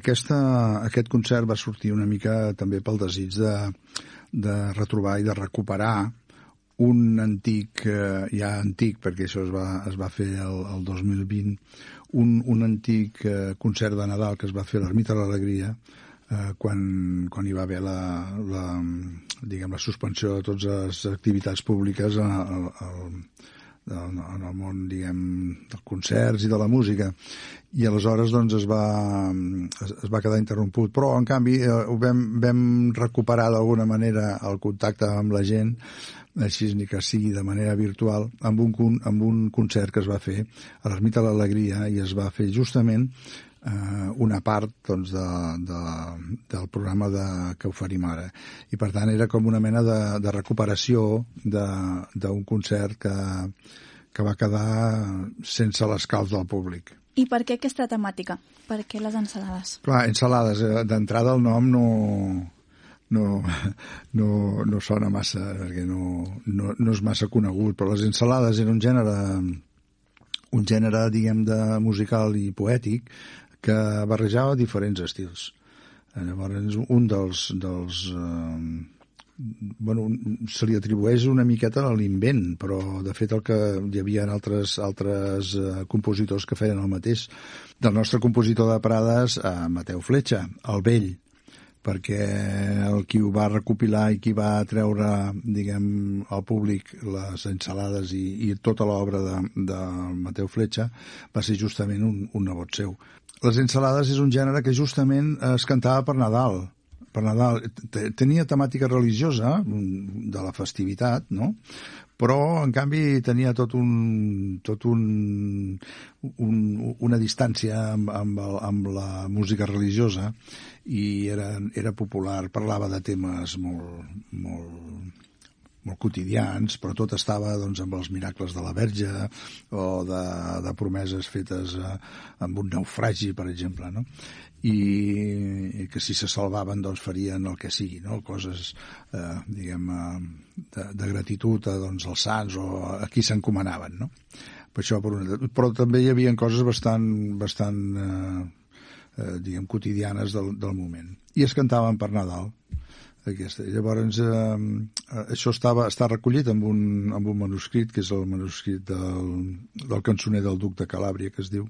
Aquest concert va sortir una mica també pel desig de retrobar i de recuperar un antic, ja antic, perquè això es va fer el 2020, un antic concert de Nadal que es va fer a l'Ermita de l'Alegria, quan hi va haver la suspensió de totes les activitats públiques en el món, dels concerts i de la música, i aleshores doncs es va quedar interromput, però en canvi vam recuperar d'alguna manera el contacte amb la gent, així ni que sigui de manera virtual, amb un concert que es va fer a l'Ermita de l'Alegria, i es va fer justament una part doncs, del programa que oferim ara, i per tant era com una mena de recuperació d'un concert que va quedar sense l'escalf del públic. I per què aquesta temàtica? Per què les ensalades? Clar, ensalades, d'entrada el nom no sona massa, perquè no és massa conegut, però les ensalades era un gènere, diguem, de musical i poètic que barrejava diferents estils. Llavors, un dels se li atribueix una miqueta a l'invent, però de fet el que hi havia altres compositors que feien el mateix. Del nostre compositor de Prades, Mateu Fletxa, el vell, perquè qui ho va recopilar i qui va treure, diguem, al públic les ensalades i tota l'obra de Mateu Fletxa va ser justament un nebot seu. Les ensalades és un gènere que justament es cantava per Nadal. Per Nadal tenia temàtica religiosa de la festivitat, no? Però en canvi tenia una distància amb la música religiosa, i era popular, parlava de temes molt quotidians, però tot estava doncs, amb els miracles de la Verge o de promeses fetes amb un naufragi, per exemple, no? I que si se salvaven doncs farien el que sigui, no? Coses diguem de gratitud doncs, als sants o a qui s'encomanaven, no? Per això, però també hi havia coses bastant diguem quotidianes del moment, i es cantaven per Nadal. Llavors això està recollit amb un manuscrit, que és el manuscrit del cançoner del Duc de Calàbria, que es diu,